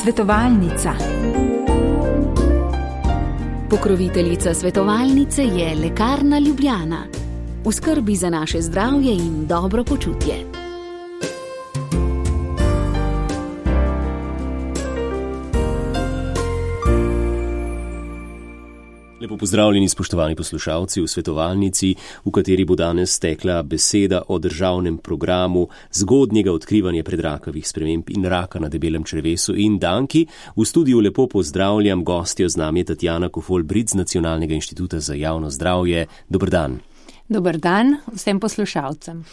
Svetovalnica. Pokroviteljica svetovalnice je Lekarna Ljubljana. V skrbi za naše zdravje in dobro počutje. Lepo pozdravljeni, spoštovani poslušalci v svetovalnici, v kateri bo danes tekla beseda o državnem programu zgodnjega odkrivanja predrakavih sprememb in raka na debelem črevesu in danki. V studiu lepo pozdravljam gostjo, z nami je Tatjana Kofol-Brit z Nacionalnega inštituta za javno zdravje. Dober dan. Dober dan vsem poslušalcem.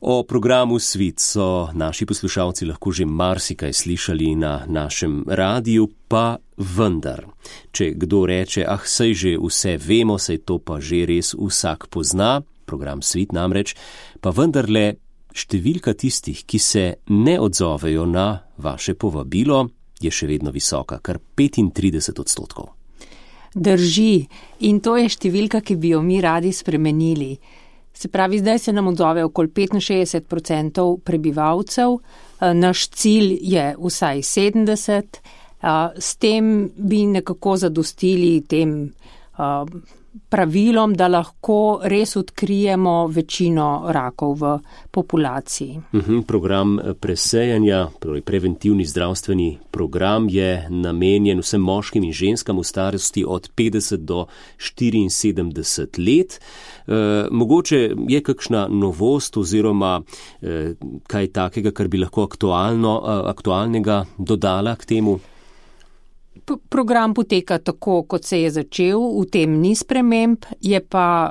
O programu Svit so naši poslušalci lahko že marsikaj slišali na našem radiju, pa vendar. Če kdo reče, saj že vse vemo, saj to pa že res vsak pozna, program Svit namreč, pa vendarle številka tistih, ki se ne odzovejo na vaše povabilo, je še vedno visoka, kar 35%. Drži, in to je številka, ki bi jo mi radi spremenili. Se pravi, zdaj se nam odzove okoli 65% prebivalcev, naš cilj je vsaj 70%, s tem bi nekako zadostili tem pravilom, da lahko res odkrijemo večino rakov v populaciji. Program presejanja, preventivni zdravstveni program je namenjen vsem moškim in ženskam v starosti od 50 do 74 let. Mogoče je kakšna novost oziroma kaj takega, kar bi lahko aktualnega dodala k temu? Program poteka tako, kot se je začel, v tem ni sprememb, je pa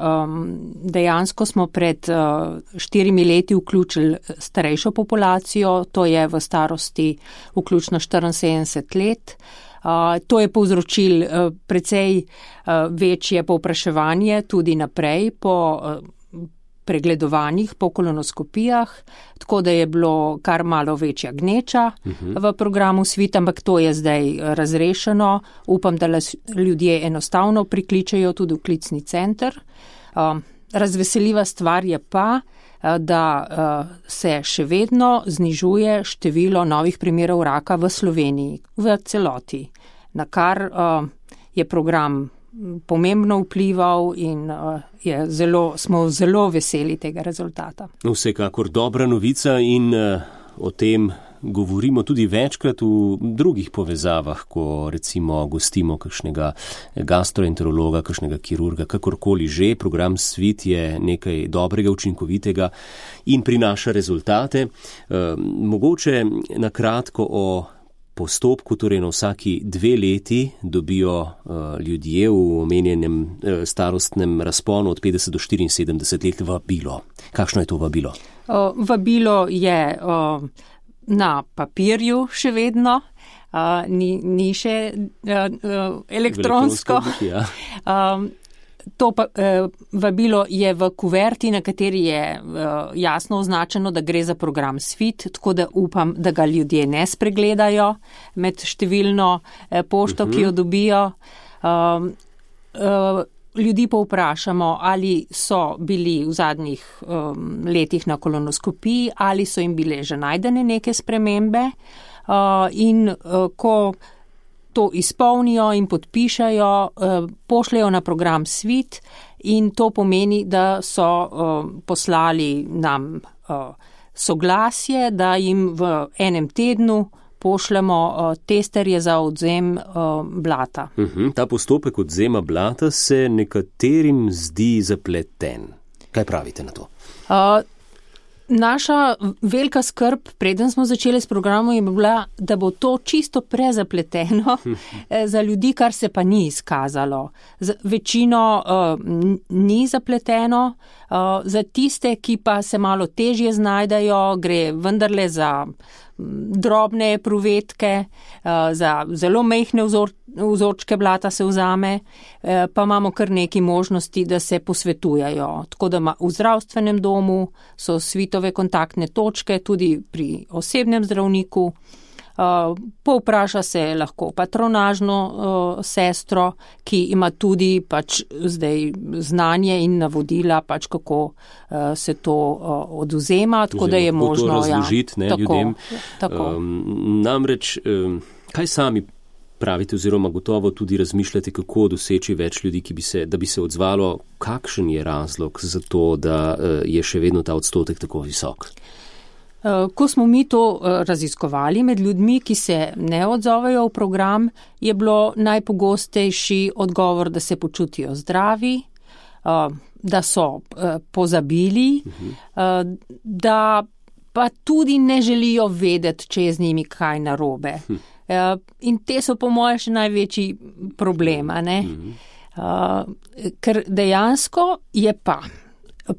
dejansko smo pred 4 leti vključili starejšo populacijo, to je v starosti vključno 74 let. To je povzročil precej večje povpraševanje tudi naprej po pregledovanjih, po kolonoskopijah, tako da je bilo kar malo večja gneča v programu Svit, ampak to je zdaj razrešeno. Upam, da ljudje enostavno prikličejo tudi v klicni center. Razveseljiva stvar je pa, da se še vedno znižuje število novih primerov raka v Sloveniji, v celoti, na kar je program pomembno vplival in smo zelo veseli tega rezultata. Vsekakor dobra novica in o tem govorimo tudi večkrat v drugih povezavah, ko recimo gostimo kakšnega gastroenterologa, kakšnega kirurga, kakorkoli že. Program Svit je nekaj dobrega, učinkovitega in prinaša rezultate. Mogoče na kratko o postopku, torej na vsaki 2 leti dobijo ljudje v omenjenem starostnem razponu od 50 do 74 let vabilo. Kakšno je to vabilo? Vabilo je na papirju še vedno, ni še elektronsko. To vabilo je v kuverti, na kateri je jasno označeno, da gre za program Svit, tako da upam, da ga ljudje ne spregledajo med številno pošto, ki jo dobijo. Ljudi pa vprašamo, ali so bili v zadnjih letih na kolonoskopiji, ali so jim bile že najdene neke spremembe in ko to izpolnijo in podpišajo, pošljajo na program Svit in to pomeni, da so poslali nam soglasje, da jim v enem tednu pošljemo testerje za odvzem blata. Ta postopek odvzema blata se nekaterim zdi zapleten. Kaj pravite na to? Naša velika skrb, preden smo začeli s programom, je bila, da bo to čisto prezapleteno za ljudi, kar se pa ni izkazalo. Večino ni zapleteno, za tiste, ki pa se malo težje znajdajo, gre vendarle za drobne pruvetke, za zelo majhne vzorčke blata se vzame, pa imamo kar nekaj možnosti, da se posvetujajo. Tako da v zdravstvenem domu so Svitove kontaktne točke, tudi pri osebnem zdravniku. Povpraša se lahko patronažno sestro, ki ima tudi zdaj znanje in navodila, kako se to odvzema, tako da je možno razložiti ljudem. Tako. Namreč Kaj sami pravite oziroma gotovo tudi razmišljate, kako doseči več ljudi, da bi se odzvalo, kakšen je razlog za to, da je še vedno ta odstotek tako visok? Ko smo mi to raziskovali med ljudmi, ki se ne odzovejo v program, je bilo najpogostejši odgovor, da se počutijo zdravi, da so pozabili, da pa tudi ne želijo vedeti, če je z njimi kaj narobe. In te so po mojem še največji problem, ker dejansko je pa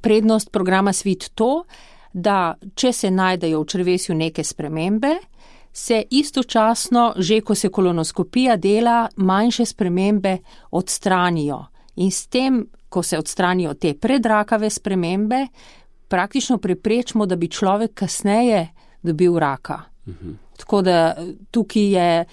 prednost programa Svit to, da če se najdejo v črevesju neke spremembe, se istočasno, že ko se kolonoskopija dela, manjše spremembe odstranijo. In s tem, ko se odstranijo te predrakave spremembe, praktično preprečimo, da bi človek kasneje dobil raka. Tako da tukaj je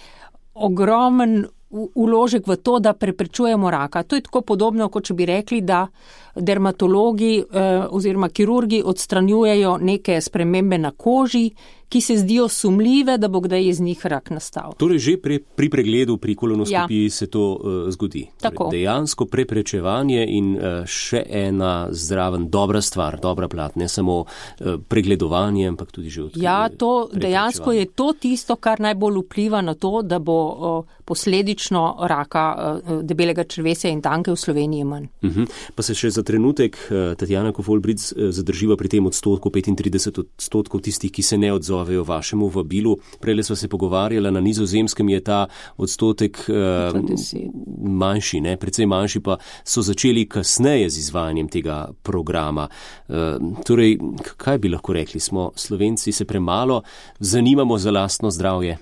ogromen vložek v to, da preprečujemo raka. To je tako podobno, kot če bi rekli, da dermatologi oziroma kirurgi odstranjujejo neke spremembe na koži, ki se zdijo sumljive, da bo kdaj iz njih rak nastal. Torej že pri pregledu, pri kolonoskopiji se to zgodi. Tako. Torej, dejansko preprečevanje in še ena zraven dobra stvar, dobra plat, ne samo pregledovanje, ampak tudi že odkrivanje. Ja, to dejansko je to tisto, kar najbolj vpliva na to, da bo posledično raka debelega črevesja in danke v Sloveniji manj. Pa se še za trenutek, Tatjana Kofolbric, zadrživa pri tem odstotku, 35% tistih, ki se ne odzovejo vašemu vabilu. Prejle sva se pogovarjala, na Nizozemskem je ta odstotek manjši, precej manjši, pa so začeli kasneje z izvajanjem tega programa. Torej, kaj bi lahko rekli? Smo Slovenci se premalo zanimamo za lastno zdravje?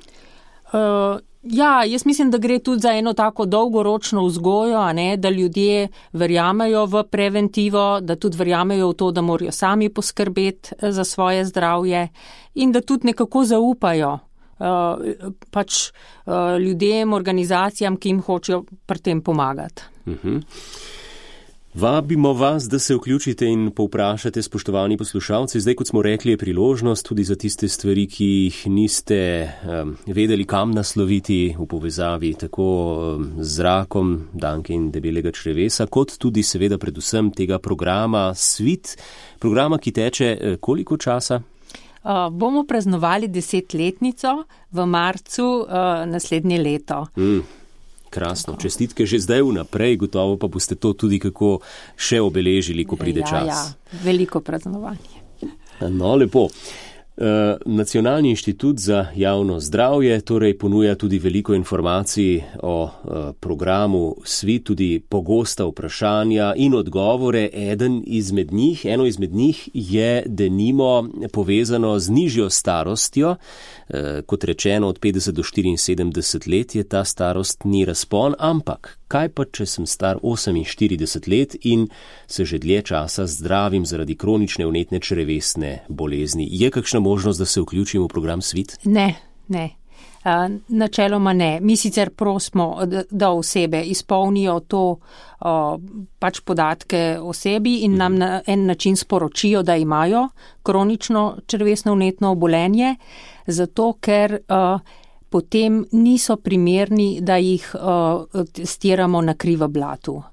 Ja, jaz mislim, da gre tudi za eno tako dolgoročno vzgojo, da ljudje verjamejo v preventivo, da tudi verjamejo v to, da morajo sami poskrbeti za svoje zdravje in da tudi nekako zaupajo ljudem, organizacijam, ki jim hočejo pri tem pomagati. Vabimo vas, da se vključite in povprašate, spoštovani poslušalci. Zdaj, kot smo rekli, je priložnost tudi za tiste stvari, ki jih niste vedeli, kam nasloviti v povezavi tako z rakom danke in debelega črevesa, kot tudi seveda predvsem tega programa Svit, programa, ki teče koliko časa? Bomo praznovali 10-letnico v marcu naslednje leto. Krasno, čestitke že zdaj vnaprej, gotovo pa boste to tudi kako še obeležili, ko pride čas. Ja, veliko praznovanje. No, lepo. Nacionalni inštitut za javno zdravje torej ponuja tudi veliko informacij o programu Svit, tudi pogosta vprašanja in odgovore. Eno izmed njih je denimo povezano z nižjo starostjo. Kot rečeno, od 50 do 74 let je ta starostni razpon, ampak kaj pa, če sem star 48 let in se že dlje časa zdravim zaradi kronične vnetne črevesne bolezni? Je kakšna možnost, da se vključim v program Svit? Ne. Načeloma ne. Mi sicer prosimo, da osebe izpolnijo to podatke o sebi in nam na en način sporočijo, da imajo kronično črevesno vnetno obolenje, zato ker potem niso primerni, da jih testiramo na krivo blatu.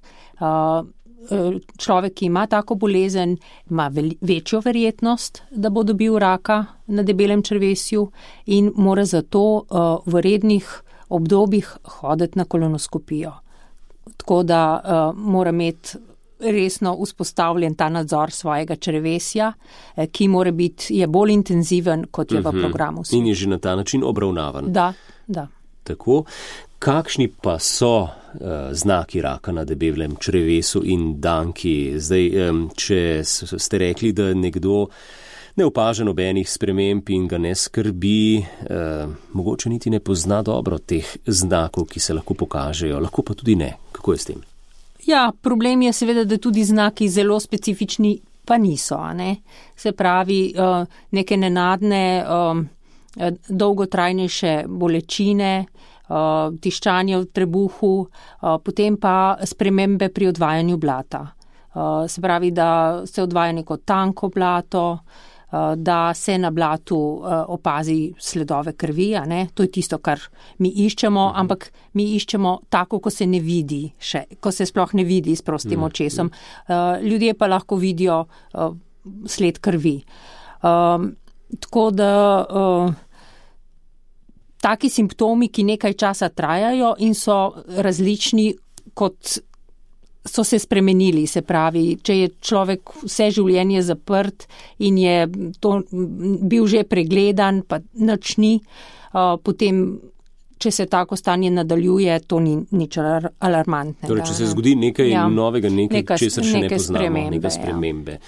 Človek, ki ima tako bolezen, ima večjo verjetnost, da bo dobil raka na debelem črevesju in mora zato v rednih obdobjih hoditi na kolonoskopijo. Tako da mora imeti resno vzpostavljen ta nadzor svojega črevesja, ki mora biti, je bolj intenziven, kot je v programu. In je že na ta način obravnavan. Da. Tako. Kakšni pa so znaki raka na debelem črevesu in danki? Zdaj, če ste rekli, da nekdo ne opaža nobenih sprememb in ga ne skrbi, mogoče niti ne pozna dobro teh znakov, ki se lahko pokažejo, lahko pa tudi ne. Kako je s tem? Ja, problem je seveda, da tudi znaki zelo specifični pa niso. Se pravi, neke nenadne, dolgotrajnejše bolečine, tiščanje v trebuhu, potem pa spremembe pri odvajanju blata. Se pravi, da se odvaja neko tanko blato, da se na blatu opazi sledove krvi, a ne? To je tisto, kar mi iščemo, ampak mi iščemo tako, ko se ne vidi še, ko se sploh ne vidi s prostim očesom. Ljudje pa lahko vidijo sled krvi. Tako da taki simptomi, ki nekaj časa trajajo in so različni, kot so se spremenili, se pravi, če je človek vse življenje zaprt in je to bil že pregledan, pa nič ni, potem, če se tako stanje nadaljuje, to ni nič alarmantnega. Torej, če se zgodi nekaj novega, nekaj česar še ne poznamo, neke spremembe.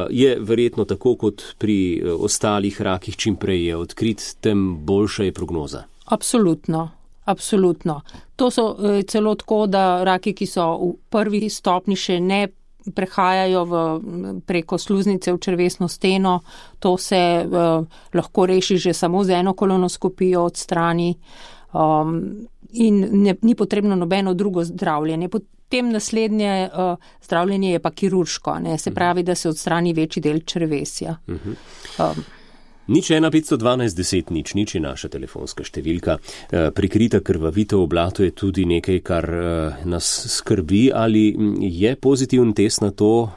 Je verjetno tako, kot pri ostalih rakih, čim prej je odkrit, tem boljša je prognoza. Absolutno. To so celo tako, da raki, ki so v prvi stopni še ne prehajajo preko sluznice v črevesno steno, to se lahko reši že samo z eno kolonoskopijo od strani in ni potrebno nobeno drugo zdravljenje. Potem naslednje zdravljenje je pa kirurško, ne? Se pravi, da se odstrani večji del črevesja. 01512 je naša telefonska številka. Prikrita krvavitev v blatu je tudi nekaj, kar nas skrbi. Ali je pozitiven test na to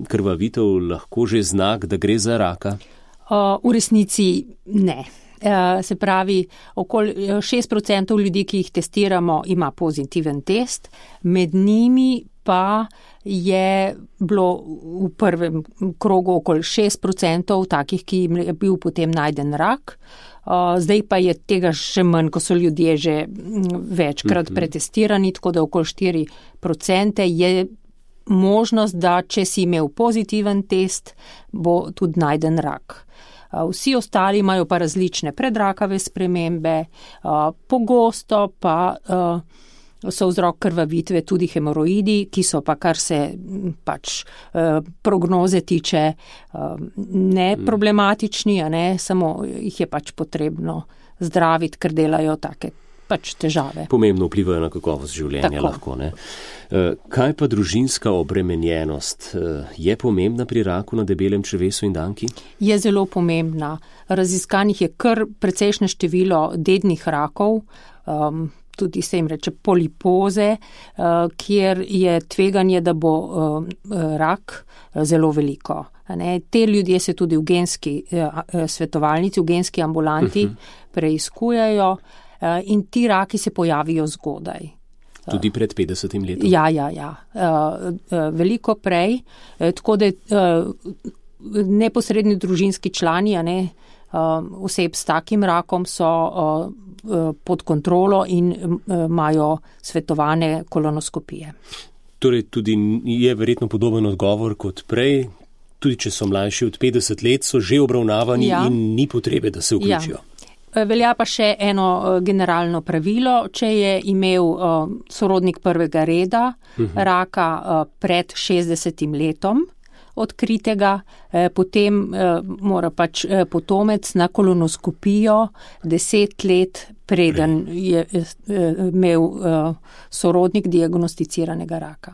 krvavitev lahko že znak, da gre za raka? V resnici ne. Se pravi, okoli 6% ljudi, ki jih testiramo, ima pozitiven test, med njimi pa je bilo v prvem krogu okoli 6% takih, ki jim je bil potem najden rak. Zdaj pa je tega še manj, ko so ljudje že večkrat pretestirani, tako da okoli 4% je možnost, da če si imel pozitiven test, bo tudi najden rak. Vsi ostali imajo pa različne predrakave spremembe, pogosto pa so vzrok krvavitve tudi hemoroidi, ki so pa, kar se pač prognoze tiče, ne problematični, a ne, samo jih je pač potrebno zdraviti, ker delajo take pač težave. Pomembno vplivajo na kakovost življenja. Tako. Lahko, ne? Kaj pa družinska obremenjenost? Je pomembna pri raku na debelem črevesu in danki? Je zelo pomembna. Raziskanih je kar precejšnje število dednih rakov, tudi se jim reče polipoze, kjer je tveganje, da bo rak zelo veliko. Te ljudje se tudi v genski svetovalnici, v genski ambulanti preiskujejo in ti raki se pojavijo zgodaj. Tudi pred 50 letom? Ja. Veliko prej, tako da neposredni družinski člani, oseb s takim rakom so pod kontrolo in imajo svetovane kolonoskopije. Torej tudi je verjetno podoben odgovor kot prej, tudi če so mlajši od 50 let, so že obravnavani in ni potrebe, da se vključijo. Velja pa še eno generalno pravilo, če je imel sorodnik prvega reda raka pred 60 letom odkritega, potem mora pač potomec na kolonoskopijo 10 let preden je imel sorodnik diagnosticiranega raka.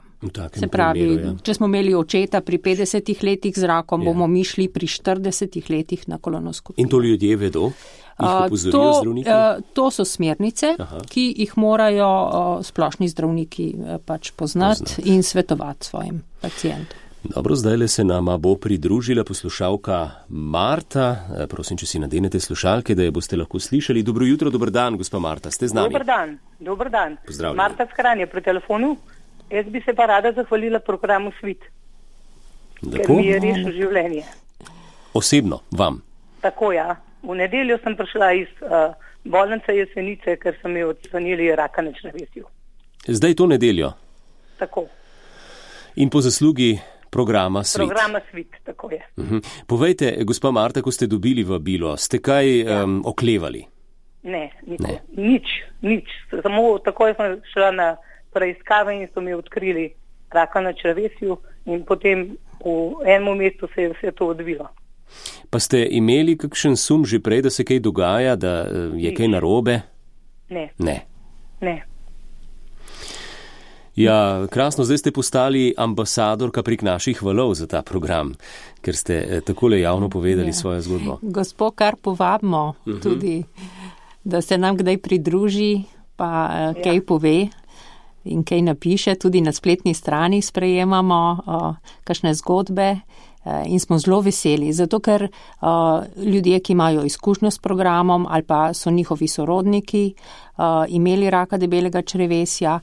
Se pravi, če smo imeli očeta pri 50 letih z rakom, bomo mi šli pri 40 letih na kolonoskopijo. In to ljudje vedo? To so smernice, ki jih morajo splošni zdravniki pač poznati in svetovati svojim pacientom. Dobro, zdajle se nama bo pridružila poslušalka Marta. Prosim, če si nadenete slušalke, da je boste lahko slišali. Dobro jutro, dober dan, gospa Marta, ste z nami? Dober dan. Pozdravljeni. Marta Skran je pri telefonu. Jaz bi se pa rada zahvalila programu Svit, ker mi je rešil življenje. Osebno, vam? Tako, ja. V nedeljo sem prišla iz bolnice Jesenice, ker so mi odstranili raka na črevesju. Zdaj to nedeljo? Tako. In po zaslugi programa Svit. Programa Svit, tako je. Povejte, gospa Marta, ko ste dobili vabilo, ste kaj oklevali? Ne. Nič. Samo takoj sem šla na preiskave in so mi odkrili raka na črevesju in potem v enem mestu se je vse to odvilo. Pa ste imeli kakšen sum že prej, da se kaj dogaja, da je kaj narobe? Ne. Ja, krasno, zdaj ste postali ambasadorka prek naših valov za ta program, ker ste takole javno povedali svojo zgodbo. Gospod, kar povabimo tudi, da se nam kdaj pridruži, pa kaj pove in kaj napiše, tudi na spletni strani sprejemamo kakšne zgodbe. In smo zelo veseli, zato ker ljudje, ki imajo izkušnjo s programom ali pa so njihovi sorodniki imeli raka debelega črevesja,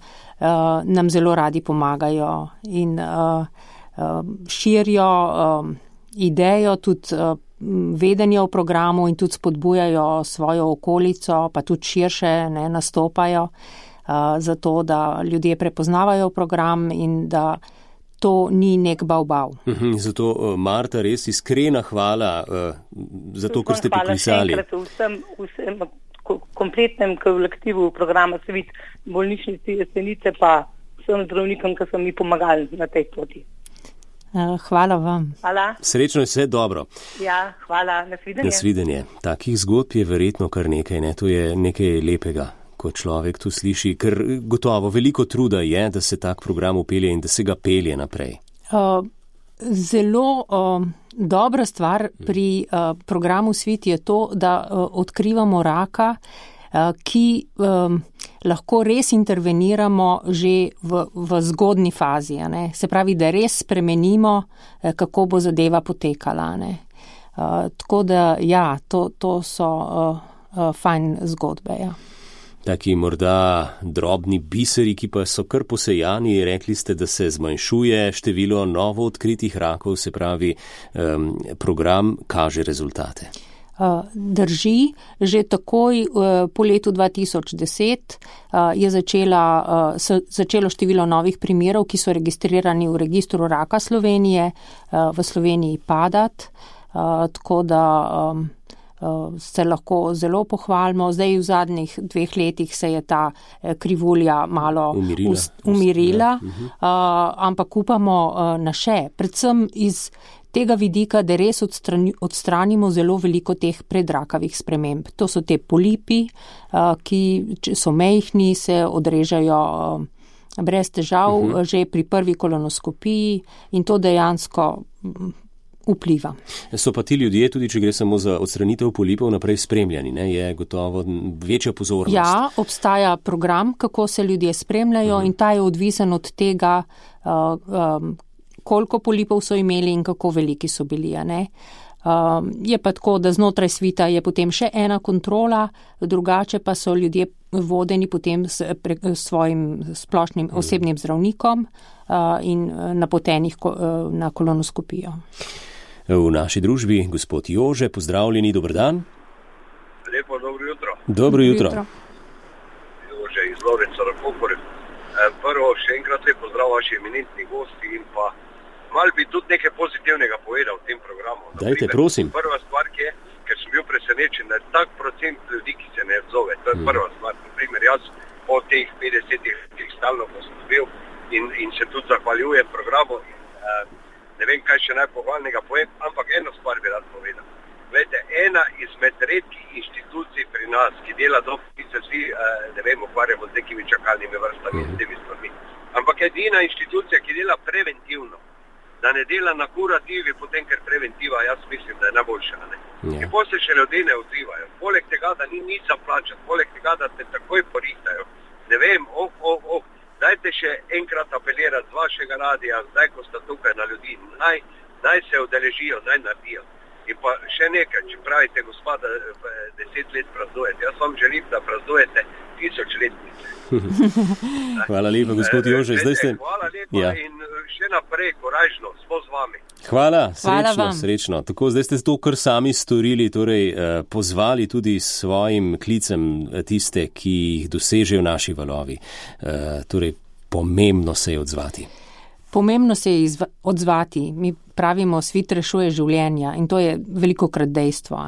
nam zelo radi pomagajo in širijo idejo, tudi vedenje o programu in tudi spodbujajo svojo okolico, pa tudi širše nastopajo, zato da ljudje prepoznavajo program in da to ni nek bav. Zato, Marta, res iskrena hvala za to, kar ste poklicali. Hvala še enkrat vsem kompletnem kolektivu programa Svit, bolnišnici Jesenice, pa vsem zdravnikom, ki so mi pomagali na tej poti. Hvala vam. Hvala. Srečno je vse dobro. Ja, hvala. Nasvidenje. Nasvidenje. Takih zgodb je verjetno kar nekaj, to je nekaj lepega, ko človek tu sliši, ker gotovo veliko truda je, da se tak program upelje in da se ga pelje naprej. Zelo dobra stvar pri programu Svit je to, da odkrivamo raka, ki lahko res interveniramo že v zgodni fazi. Se pravi, da res spremenimo, kako bo zadeva potekala. Tako da, ja, to so fajn zgodbe, ja. Taki morda drobni biseri, ki pa so kar posejani, rekli ste, da se zmanjšuje število novo odkritih rakov, se pravi, program kaže rezultate. Drži, že takoj po letu 2010 je začelo število novih primerov, ki so registrirani v registru raka Slovenije, v Sloveniji padati, tako da se lahko zelo pohvalimo. Zdaj v zadnjih 2 letih se je ta krivulja malo umirila, ampak upamo na še. Predvsem iz tega vidika, da res odstranimo zelo veliko teh predrakavih sprememb. To so te polipi, ki so majhni, se odrežejo brez težav že pri prvi kolonoskopiji in to dejansko vpliva. So pa ti ljudje, tudi če gre samo za odstranitev polipov, naprej spremljani, je gotovo večja pozornost. Ja, obstaja program, kako se ljudje spremljajo in ta je odvisen od tega, koliko polipov so imeli in kako veliki so bili. Je pa tako, da znotraj Svita je potem še ena kontrola, drugače pa so ljudje vodeni potem s svojim splošnim osebnim zdravnikom in napotenih na kolonoskopijo. V naši družbi gospod Jože, pozdravljeni, dober dan. Lepo, dobro jutro. Dobro jutro. Jože iz Lovrenca Rakopore. Prvo, še enkrat lep pozdrav vaši eminentni gosti in pa malo bi tudi nekaj pozitivnega povedal v tem programu. Dajte, prosim. Prva stvar je, ker sem bil presenečen, da je tak procent ljudi, ki se ne odzove. To je prva stvar. Naprimer, jaz po teh 50 letih stalno poslubil in se tudi zahvaljujem programu. Ne vem, kaj še najpohvalnega povem, ampak eno stvar bi rad povedal. Glejte, ena izmed redkih inštitucij pri nas, ki dela dobro, ki se vsi, ukvarjamo z nekimi čakalnimi vrstami in s temi stvarmi. Ampak edina inštitucija, ki dela preventivno, da ne dela na kurativi, potem ker preventiva, jaz mislim, da je najboljša. In potem se še ljudje ne odzivajo. Poleg tega, da ni nič za plačati, poleg tega, da te takoj porihtajo. Ne vem, dajte še enkrat apelirati z vašega radija, zdaj, ko sta tukaj na ljudi, naj se udeležijo, naj naredijo. In pa še nekaj, če pravite, gospoda, 10 let praznujete. Jaz vam želim, da praznujete 1000 letnice. Hvala lepa, gospod Jože. Hvala lepa in še naprej, korajžno, smo z vami. Hvala, srečno. Tako, zdaj ste to kar sami storili, torej pozvali tudi s svojim klicem tiste, ki jih dosežejo naši valovi. Torej, pomembno se je odzvati. Pomembno se je odzvati. Mi pravimo, Svit rešuje življenja in to je velikokrat dejstvo.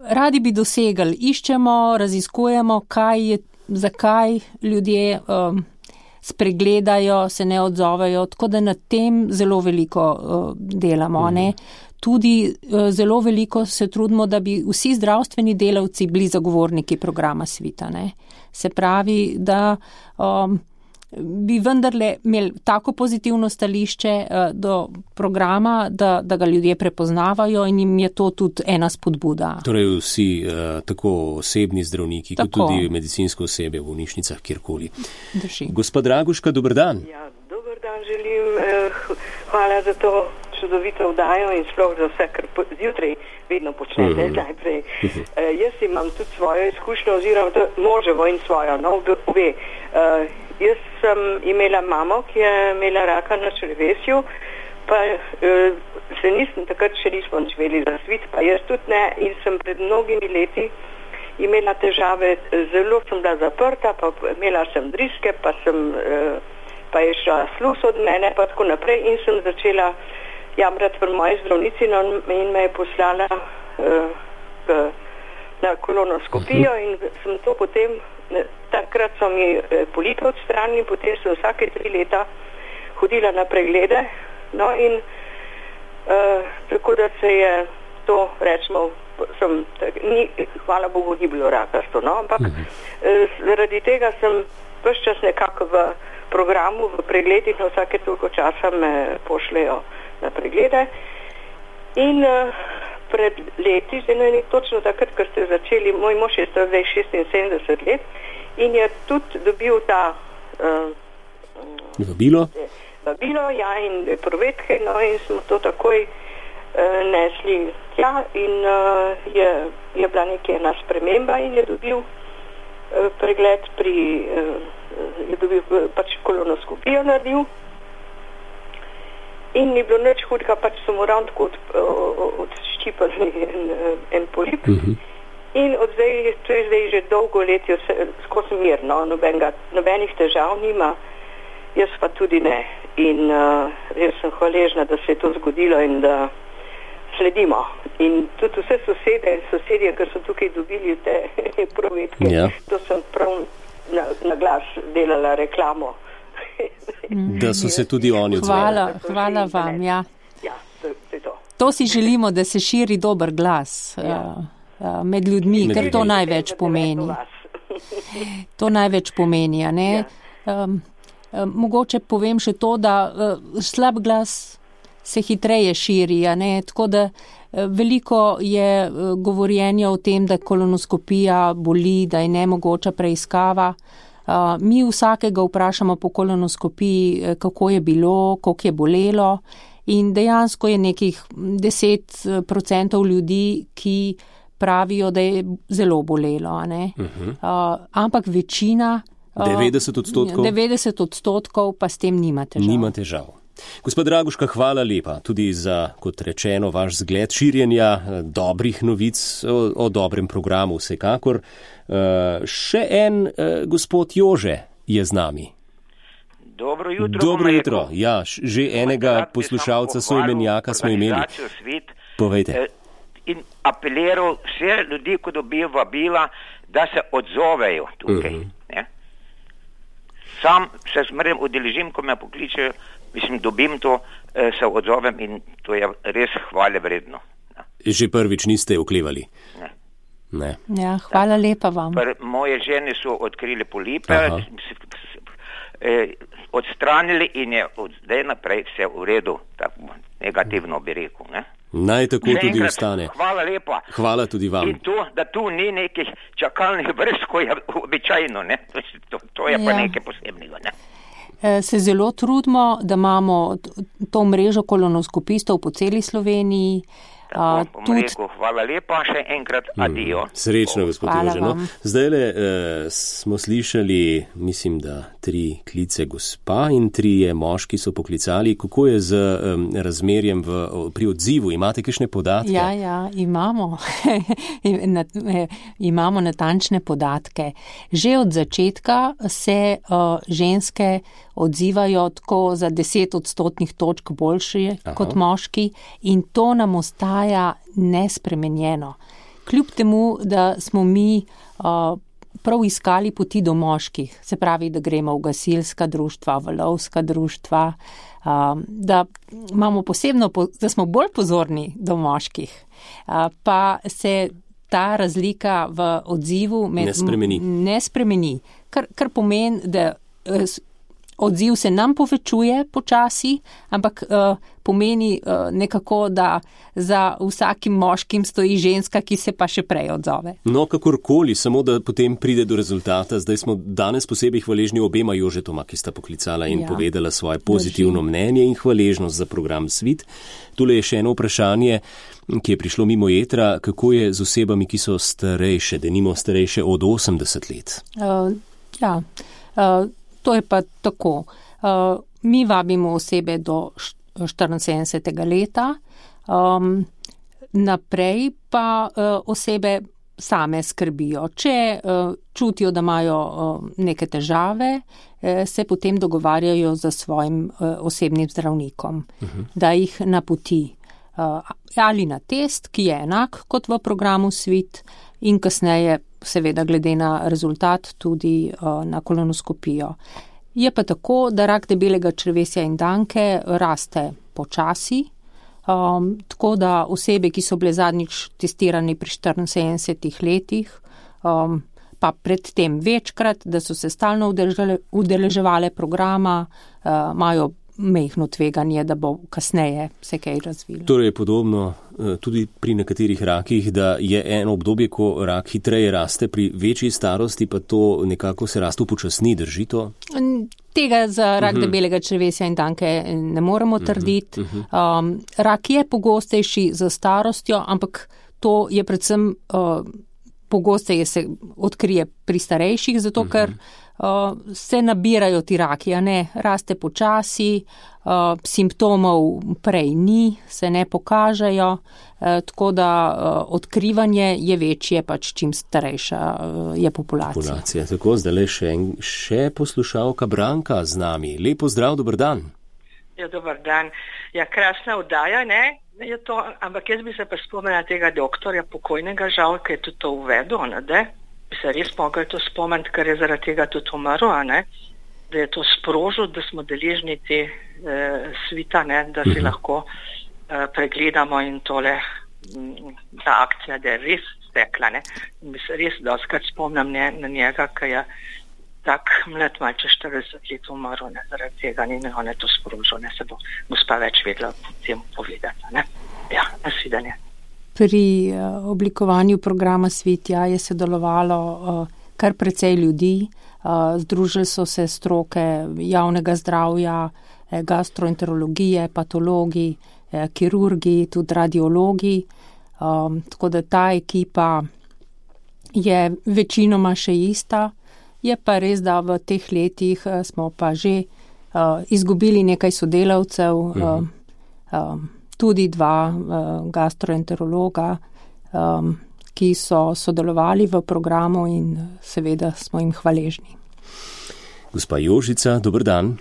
Radi bi dosegali, iščemo, raziskujemo, zakaj ljudje spregledajo, se ne odzovejo, tako da nad tem zelo veliko delamo. tudi zelo veliko se trudimo, da bi vsi zdravstveni delavci bili zagovorniki programa Svita, ne. Se pravi, da bi vendarle imeli tako pozitivno stališče do programa, da ga ljudje prepoznavajo in jim je to tudi ena spodbuda. Torej vsi, tako osebni zdravniki, kot tudi medicinsko osebje v bolnišnicah, kjerkoli. Drži. Gospa Draguška, dober dan. Ja, dober dan želim. Hvala za to čudovito vdajo in sploh za vse, kar zjutraj vedno počnete najprej. Jaz imam tudi svojo izkušnjo oziroma moževo in svojo, no, obe. Jaz sem imela mamo, ki je imela raka na črevesju, pa takrat še nismo živeli za Svit, pa jaz tudi ne, in sem pred mnogimi leti imela težave, zelo sem bila zaprta, pa imela sem driske, pa je šla sluz od mene, pa tako naprej, in sem začela jamrati pri moji zdravnici in me je poslala na kolonoskopijo in sem to potem, takrat so mi polipe odstranili, potem sem vsake 3 leta hodila na preglede, no in tako da se je to, rečemo, hvala Bogu, ni bilo rakasto, no, ampak zaradi tega sem ves čas nekako v programu, v pregledih, na vsake toliko časa me pošlejo na preglede in pred leti, točno takrat, ko ste začeli, moj mož je zdaj 76 let in je tudi dobil ta vabilo, ja, in provetke, no, in smo to takoj nesli tja in je bila nekaj ena sprememba in je dobil pregled je dobil pač kolonoskopijo naredil in ni bilo nič hudega, pač so mu ravno tako odščipali en polip. In od zdaj, to je zdaj že dolgo let, skozi mirno, nobenih težav nima, jaz pa tudi ne. In jaz sem hvaležna, da se je to zgodilo in da sledimo. In tudi vse sosedje, ki so tukaj dobili te provetke, to sem prav na glas delala reklamo. Da so se tudi oni odzvali. Hvala vam, ja. Ja, to je to. To si želimo, da se širi dober glas med ljudmi, ker to največ pomeni. To največ pomeni, a ne? Mogoče povem še to, da slab glas se hitreje širi, a ne? Tako da veliko je govorjenja o tem, da kolonoskopija boli, da je nemogoča preiskava. Mi vsakega vprašamo po kolonoskopiji, kako je bilo, koliko je bolelo, in dejansko je nekih 10% ljudi, ki pravijo, da je zelo bolelo, a ne? Ampak večina 90% pa s tem nima težav. Nima težav. Gospod Draguška, hvala lepa tudi za, kot rečeno, vaš zgled širjenja dobrih novic o dobrem programu vsekakor. Še en gospod Jože je z nami. Dobro jutro. Dobro jutro. Ja, že enega poslušalca soimenjaka smo imeli. Povejte. In apeliral vse ljudi, ko dobijo vabila, da se odzovejo tukaj. Sam se zmeraj udeležim, ko me pokličejo, dobim to, se odzovem in to je res hvale vredno. Že prvič niste oklevali? Ne. Ja, hvala lepa vam. Moje žene so odkrili polipe, odstranili in je od zdaj naprej vse v redu, tako negativno bi rekel, ne? Naj tako tudi ostane. Hvala lepa. Hvala tudi vam. In to, da tu ni nekih čakalnih vrst, ko je običajno, ne? To je pa nekaj posebnega, ne? Se zelo trudimo, da imamo to mrežo kolonoskopistov po celi Sloveniji. Hvala lepa, še enkrat adijo. Srečno, gospod Jože. Zdajle smo slišali, mislim, da 3 klice gospa in 3 moški so poklicali. Kako je z razmerjem pri odzivu? Imate kakšne podatke? Ja, imamo. Imamo natančne podatke. Že od začetka se ženske odzivajo tako za 10% točk boljše kot moški in to nam ostaja nespremenjeno. Kljub temu, da smo mi prav iskali poti do moških, se pravi, da gremo v gasilska društva, v lovska društva, da imamo da smo bolj pozorni do moških, pa se ta razlika v odzivu ne spremeni, kar pomeni, da odziv se nam povečuje počasi, ampak pomeni nekako, da za vsakim moškim stoji ženska, ki se pa še prej odzove. No, kakorkoli, samo da potem pride do rezultata. Zdaj smo danes posebej hvaležni obema Jožetoma, ki sta poklicala in povedala svoje pozitivno mnenje in hvaležnost za program Svit. Tule je še eno vprašanje, ki je prišlo mimo etra. Kako je z osebami, ki so starejše, denimo starejše od 80 let? To je pa tako. Mi vabimo osebe do 74. leta, naprej pa osebe same skrbijo. Če čutijo, da imajo neke težave, se potem dogovarjajo za svojim osebnim zdravnikom, da jih napoti ali na test, ki je enak kot v programu Svit, in kasneje seveda glede na rezultat tudi na kolonoskopijo. Je pa tako, da rak debelega črevesja in danke raste počasi, tako da osebe, ki so bile zadnjič testirane pri 74 letih, pa predtem večkrat, da so se stalno udeleževale programa, imajo mehno tveganje, da bo kasneje se kaj razvilo. Torej je podobno tudi pri nekaterih rakih, da je eno obdobje, ko rak hitreje raste, pri večji starosti pa to nekako se rast upočasni, drži to? Tega za rak debelega črevesja in danke ne moremo trditi. Rak je pogostejši za starostjo, ampak to je predvsem pogosteje se odkrije pri starejših, zato ker se nabirajo ti raki, raste počasi, simptomov prej ni, se ne pokažejo, tako da odkrivanje je večje, pač čim starejša je populacija. Tako, zdaj še poslušalka Branka z nami. Lepo zdrav, dober dan. Ja, dober dan. Ja, krasna oddaja, ne? Je to, ampak jaz bi se pa spomnila tega doktorja pokojnega, žal, ki je tudi to uvedel, ne? Bi se res mogli to spomniti, ker je zaradi tega tudi umrl, da je to sprožil, da smo deležni te svita, da si lahko pregledamo in tole ta akcija, da je res stekla. In bi se res dostakrat spomnim na njega, ki je tak mlad malče 40 let umrl, zaradi tega in on je to sprožil, se bo gospa več vedela o tem povedati. Ja, nasvidenje. Pri oblikovanju programa Svit je sodelovalo kar precej ljudi, združili so se stroke javnega zdravja, gastroenterologije, patologi, kirurgi, tudi radiologi, tako da ta ekipa je večinoma še ista. Je pa res, da v teh letih smo pa že izgubili nekaj sodelavcev, tudi 2 gastroenterologa, ki so sodelovali v programu in seveda smo jim hvaležni. Gospa Jožica, dober dan.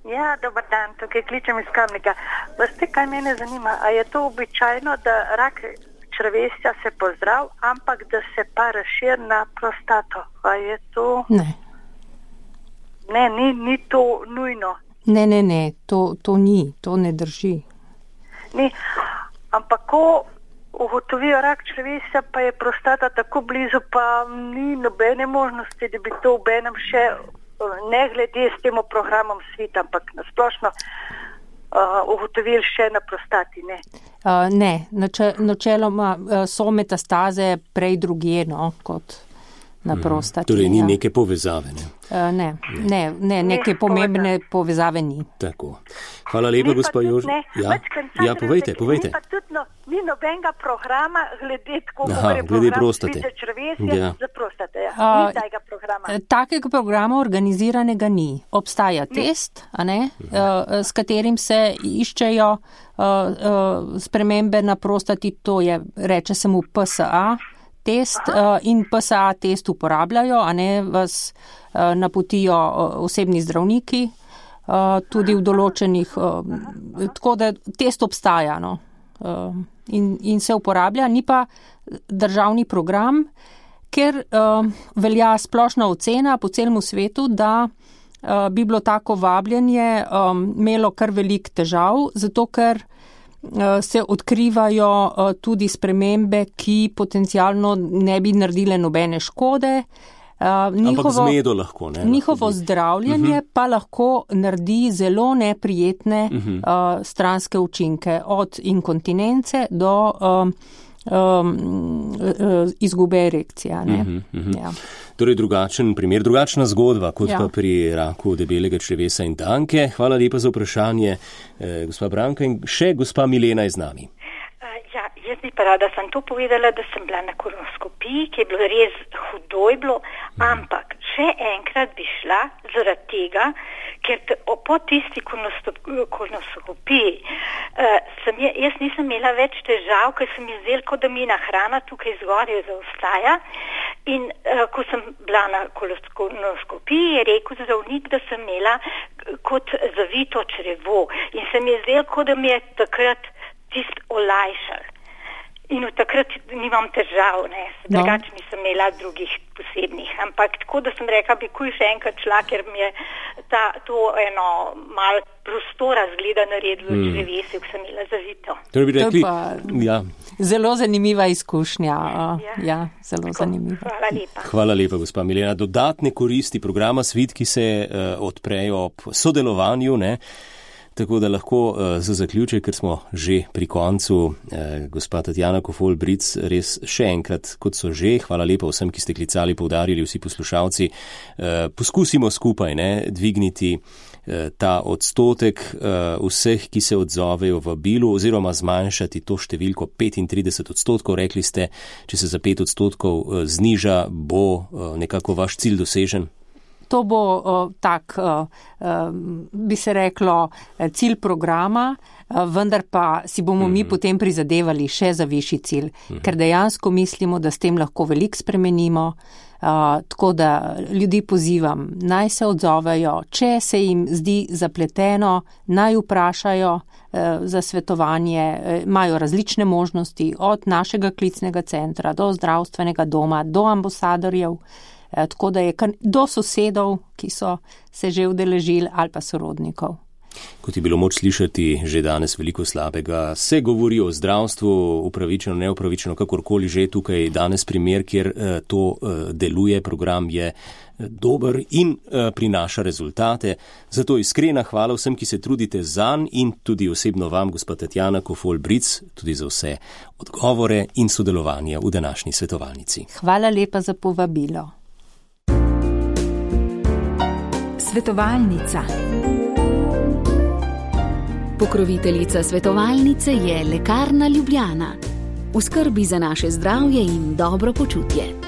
Ja, dober dan, tukaj kličem iz Kamnika. Veste, kaj mene zanima, a je to običajno, da rak črevesja se pozdrav, ampak da se pa razširi na prostato? A je to? Ne. Ne, ni to nujno. Ne, to ni, to ne drži. Ni, ampak ko ugotovijo rak črevesja, pa je prostata tako blizu, pa ni nobene možnosti, da bi to v enem še, ne glede s tem programom Svit, ampak nasplošno ugotovili še na prostati, ne? Ne, načeloma so metastaze prej drugje, kot na prostati. Torej ni neke povezave, ne? Ne, neke pomembne povezave ni. Tako. Hvala lepa, gospa Jožica. Ja, povejte. Ni nobenega programa glede prostate. Za prostate, Ni tega programa. Takega programa organiziranega ni. Obstaja test, s katerim se iščejo spremembe na prostati, to je, reče se mu PSA test, in PSA test uporabljajo, vas napotijo osebni zdravniki, tudi v določenih, tako da test obstaja, in se uporablja, ni pa državni program, ker velja splošna ocena po celem svetu, da bi bilo tako vabljenje imelo kar velik težav, zato ker se odkrivajo tudi spremembe, ki potencialno ne bi naredile nobene škode. Ampak zmedo lahko, ne? Njihovo zdravljenje pa lahko naredi zelo neprijetne stranske učinke, od inkontinence do izgube erekcija. Ja. Torej drugačen primer, drugačna zgodba kot pa pri raku debelega črevesa in danke. Hvala lepa za vprašanje, gospa Branka, in še gospa Milena je z nami. Jaz bi pa rada sem to povedala, da sem bila na kolonoskopiji, ki je bilo res hudo je bilo, ampak še enkrat bi šla zaradi tega, ker po tisti kolonoskopiji jaz nisem imela več težav, ker sem izdelal, kot da mi hrana tukaj zgoraj zaostaja. In ko sem bila na kolonoskopiji, je rekel zdravnik, da sem imela kot zavito črevo. In sem izdelal, kot da mi je takrat tist olajšal. In v takrat nimam težav, drugače nisem imela drugih posebnih. Ampak tako, da sem rekla, bi kuj še enkrat šla, ker mi je to eno malo prostora zgleda naredilo črevesje, ko sem imela zavito. To bi rekli, zelo zanimiva izkušnja. Zelo zanimiva. Hvala lepa. Hvala lepa, gospa Milena. Dodatne koristi programa Svit, ki se odprejo ob sodelovanju, ne? Tako da lahko za zaključek, ker smo že pri koncu, gospa Tatjana Kofol-Bric, res še enkrat, kot so že, hvala lepa vsem, ki ste klicali, poudarili vsi poslušalci, poskusimo skupaj dvigniti ta odstotek vseh, ki se odzovejo v bilu, oziroma zmanjšati to številko 35%. Rekli ste, če se za 5% zniža, bo nekako vaš cilj dosežen? To bo bi se reklo, cilj programa, vendar pa si bomo mi potem prizadevali še za višji cilj, ker dejansko mislimo, da s tem lahko veliko spremenimo, tako da ljudi pozivam, naj se odzovejo, če se jim zdi zapleteno, naj vprašajo za svetovanje, imajo različne možnosti, od našega klicnega centra do zdravstvenega doma, do ambasadorjev, tako da je do sosedov, ki so se že udeležili, ali pa sorodnikov. Kot je bilo moč slišati že danes veliko slabega, se govori o zdravstvu, upravičeno, neupravičeno, kakorkoli že tukaj danes primer, kjer to deluje, program je dober in prinaša rezultate. Zato iskrena hvala vsem, ki se trudite zanj, in tudi osebno vam, gospa Tatjana Kofol-Bric, tudi za vse odgovore in sodelovanje v današnji svetovalnici. Hvala lepa za povabilo. Svetovalnica. Pokroviteljica svetovalnice je Lekarna Ljubljana. V skrbi za naše zdravje in dobro počutje.